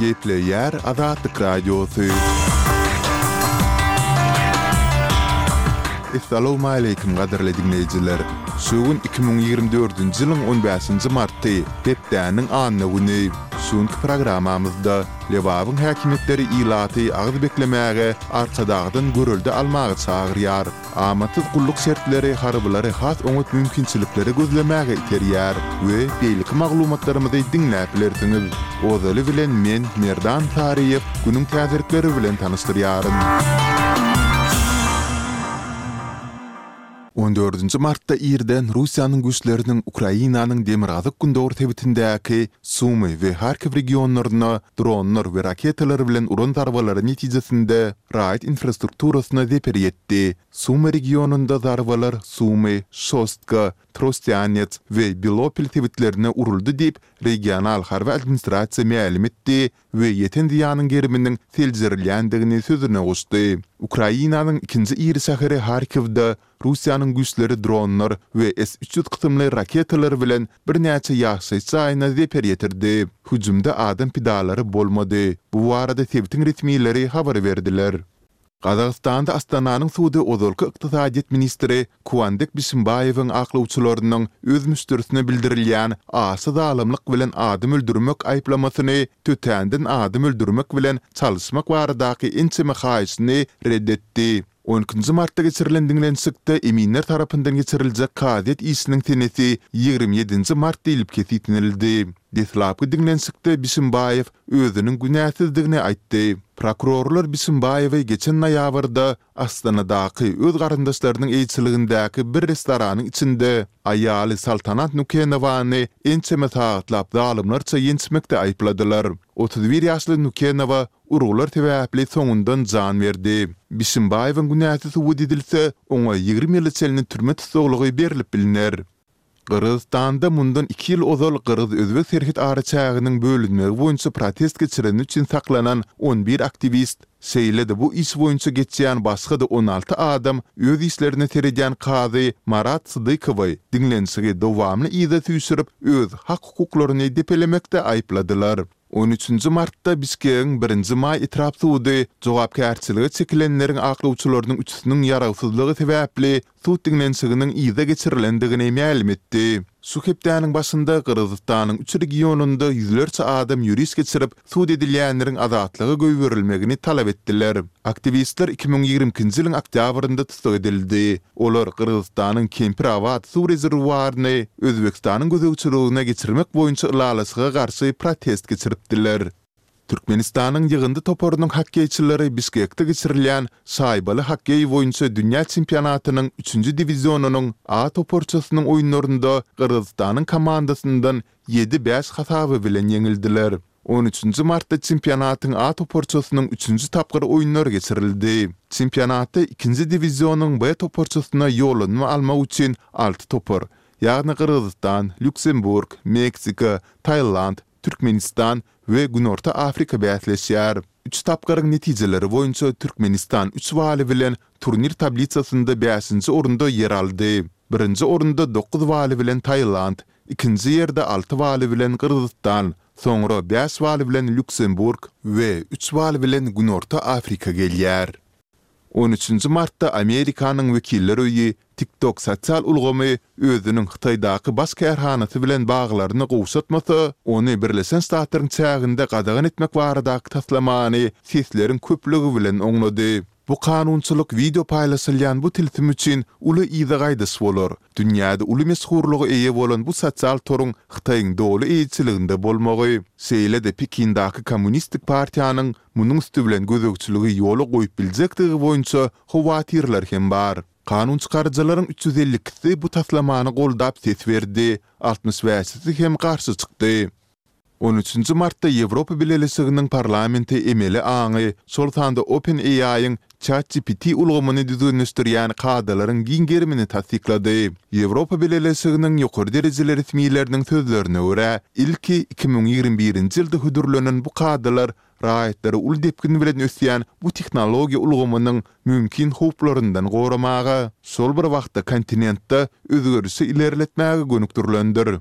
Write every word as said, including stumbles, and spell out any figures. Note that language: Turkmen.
Gepleýär Azatlyk Radiosy. Essalawmaleýkim gadyrly diňleýjiler! Şu gün iki müň ýigrimi dördünji ýylyň on bäşinji marty, hepdäniň anna güni. Şu günki programmamyzda Lebabyň häkimiýetleri ilaty agyz beklemäge Arkadagdan görelde almaga çagyrýar. Amatsyz gulluk şertleri harbylary has oňat mümkinçilikleri gözlemäge iterýär we beýleki maglumatlarymyzy diňläp bilersiňiz. Ozaly bilen men, Merdan Saryýew, günüň täzelikleri bilen tanyşdyrýaryn. On dördünji martda irden Russiýanyň güýçleriniň Ukrainanyň demirgazyk-gündogar sebitindäki Sumy we Harkiw regionlaryna dronlar we raketalar bilen uran zarbalary netijesinde raýat infrastrukturasyna zeper ýetdi. Sumy regionynda zarbalar Sumy, Şostka, Trostýanets we Belopil sebitlerine uruldy diýip, regional harby administrasiýa mälim etdi we ýeten zyýanyň geriminiň seljerilýändigini sözüne goşdy. Ukrainanyň ikinji iri şäheri Harkiwde Russiýanyň güýçleri dronlar we S üç ýüz kysymly raketalar bilen birnäçe ýaşaýyş jaýyna zeper ýetirdi. Hüjümde adam pidalary bolmady. Bu barada sebitiň resmileri habar berdiler. Gazagystanda Astananyň sudy ozalky ykdysadyýet ministri Kuandek Bişimbaýewiň aklawçylarynyň öz müşderisine bildirilýän aşa zalymlyk bilen adam öldürmek aýyplamasyny tötänden adam öldürmek bilen çalyşmak baradaky ençeme haýyşyny ret etdi. On ikinji martda geçirilen diňlenişikde eminler tarapyndan geçiriljek kazyýet işiniň senesi ýigrimi ýedinji mart diýlip kesgitlenildi. Deslapky diňlenişikde Bişimbaýew özüniň günäsizdigini aýtdy. Prokurorlar Bişimbaýewi geçen noýabrda Astanadaky öz garyndaşlarynyň eýeçiligindäki bir restoranyň içinde aýaly Saltanat Nukenowany ençeme sagatlap zalymlarça ýençmekde aýypladylar. Otuz bir ýaşly Nukenowa urgular sebäpli soňundan jan berdi. Bişimbaýewiň günäsi subut edilse, oňa ýigrimi ýyla çenli türme tussaglygy berlip bilner. Gyrgyzystanda mundan iki ýyl ozal gyrgyz-özbek serhet araçäginiň bölünmegi boýunça protest geçireni üçin saklanan on bir aktiwist, şeýle-de bu iş boýunça geçýän başga-da on alty adam öz işlerine seredýän kazy Marat Sydykowy diňlenişigi dowamly yza süýşürip, öz hak-hukuklaryny depelemekde aýypladylar. On üçünji martda Bişkegiň Birinji maý etrap sudy jogapkärçilige çekilenleriň aklawçylarynyň üçüsiniň ýarawsyzlygy sebäpli sud diňlenişiginiň yza geçirilendigini mälim etdi. Şu hepdäniň başynda Gyrgyzystanyň üç regionynda ýüzlerçe adam ýöriş geçirip, sud edilýänleriň azatlyga goýberilmegini talap etdiler. Aktiwistler iki müň ýigrimi ikinji ýylyň oktýabrynda tussag edildi. Olar Gyrgyzystanyň Kempir-Abat suw rezerwuaryny Özbegistanyň gözegçiligine geçirmek boýunça ylalaşyga garşy protest geçiripdiler. Türkmenistanyň ýygyndy toparynyň hokkeýçileri Bişkekde geçirilýän şaýbaly hokkeý boýunça dünýä çempionatynyň üçünji diwizionynyň A toparçasynyň oýunlarynda Gyrgyzystanyň komandasyndan ýedi, bäş hasaby bilen ýeňildiler. On üçünji martda çempionatyň A toparçasynyň üçünji tapgyr oýunlary geçirildi. Çempionatda ikinji diwizionyň B toparçasyna ýollanma almak üçin alty topar, ýagny Gyrgyzystan, Lýuksemburg, Meksika, Tailand, Türkmenistan we Günorta Afrika bäsleşýär. Üç tapgyryň netijeleri boýunça Türkmenistan üç baly bilen turnir tablisasynda bäşinji orunda ýer aldy. Birinji orunda dokuz baly bilen Tailand, ikinji ýerde alty baly bilen Gyrgyzystan, soňra bäş baly bilen Lýuksemburg we üç bal bilen Günorta Afrika gelýär. On üçünji martda Amerikanyň Wekiller öýi TikTok sosial ulgamy özüniň Hytaýdaky baş kärhanasy bilen baglaryny gowşatmasa, ony Birleşen Ştatlaryň çäginde gadagan etmek baradaky taslamany sesleriň köplügi bilen oňlady. Bu kanunçylyk wideo paýlaşylýan bu tilsim üçin uly yza gaýdyş bolar. Dünýäde uly meşhurlyga eýe bolan bu sosial toruň Hytaýyň doly eýeçiliginde bolmagy, şeýle-de Pekindaky Kommunistik partiýanyň munuň üsti bilen gözegçiligi ýola goýup biljekdigi boýunça howatyrlar hem bar. Kanunçykaryjylaryň üç ýüz elli ikisi bu taslamany goldap ses berdi, altmyş bäşisi hem garşy çykdy. On üçünji martda Ýewropa Bileleşiginiň Parlamenti emeli aňy, şol sanda OpenAI-iň ChatGPT ulgamyny düzgünleşdirýän kadalaryň giň gerimini tassyklady. Ýewropa Bileleşiginiň ýokary derejeli resmileriniň sözlerine görä, ilki iki müň ýigrimi birinji ýylda hödürlenen bu kadalar raýatlary uly depgin bilen ösýän bu tehnologiýa ulgamynyň mümkin howplaryndan goramaga, şol bir wagtda kontinentde özgerişi ilerletmäge gönükdirilendir.